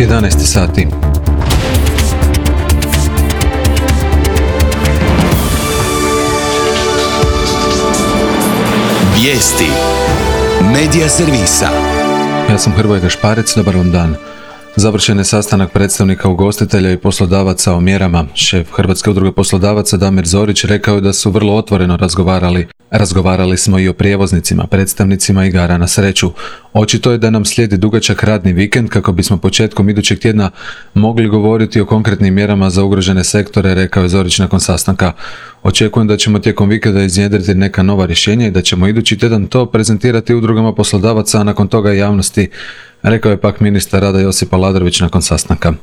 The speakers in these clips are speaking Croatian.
11 sati. Vijesti Medija servisa. Ja sam Hrvoje Gašparec, dobar vam dan. Završen je sastanak predstavnika ugostitelja i poslodavaca o mjerama. Šef Hrvatske udruge poslodavaca Damir Zorić rekao je da su vrlo otvoreno razgovarali. Razgovarali smo i o prijevoznicima, predstavnicima igara na sreću. Očito je da nam slijedi dugačak radni vikend kako bismo početkom idućeg tjedna mogli govoriti o konkretnim mjerama za ugrožene sektore, rekao je Zorić nakon sastanka. Očekujem da ćemo tijekom vikenda iznjedriti neka nova rješenja i da ćemo idući tjedan to prezentirati udrugama poslodavaca, a nakon toga i javnosti, rekao je pak ministar rada Josip Aladrović nakon sastanka.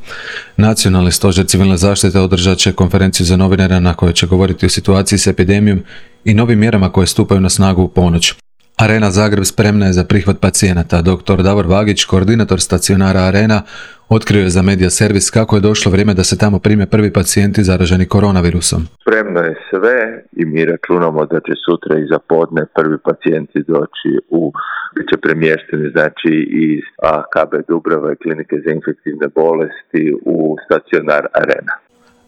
Nacionalni stožer civilne zaštite održat će konferenciju za novinare na kojoj će govoriti o situaciji s epidemijom i novim mjerama koje stupaju na snagu u ponoć. Arena Zagreb spremna je za prihvat pacijenata. Dr. Davor Vagić, koordinator stacionara Arena, otkrio je za Medija servis kako je došlo vrijeme da se tamo prime prvi pacijenti zaraženi koronavirusom. Spremno je sve i mi računamo da će sutra iza podne prvi pacijenti doći bit će premješteni iz KB Dubrava i klinike za infektivne bolesti u stacionar Arena.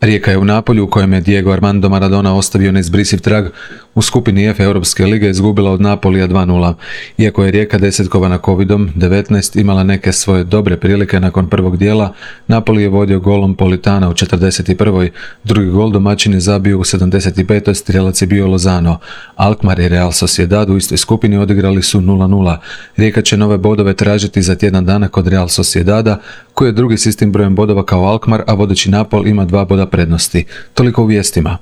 Rijeka je u Napolju, u kojem je Diego Armando Maradona ostavio neizbrisiv trag, u skupini F Europske lige izgubila od Napolija 2:0. Iako je Rijeka desetkovana Covidom-19 imala neke svoje dobre prilike nakon prvog dijela, Napoli je vodio golom Politana u 41. Drugi gol domaćin je zabio u 75. Strijelac je bio Lozano. Alkmaar i Real Sociedad u istoj skupini odigrali su 0:0. Rijeka će nove bodove tražiti za tjedan dana kod Real Sociedada, koji je drugi s istim brojem bodova kao Alkmaar, a vodeći Napol ima 2 boda prednosti. Toliko u vijestima.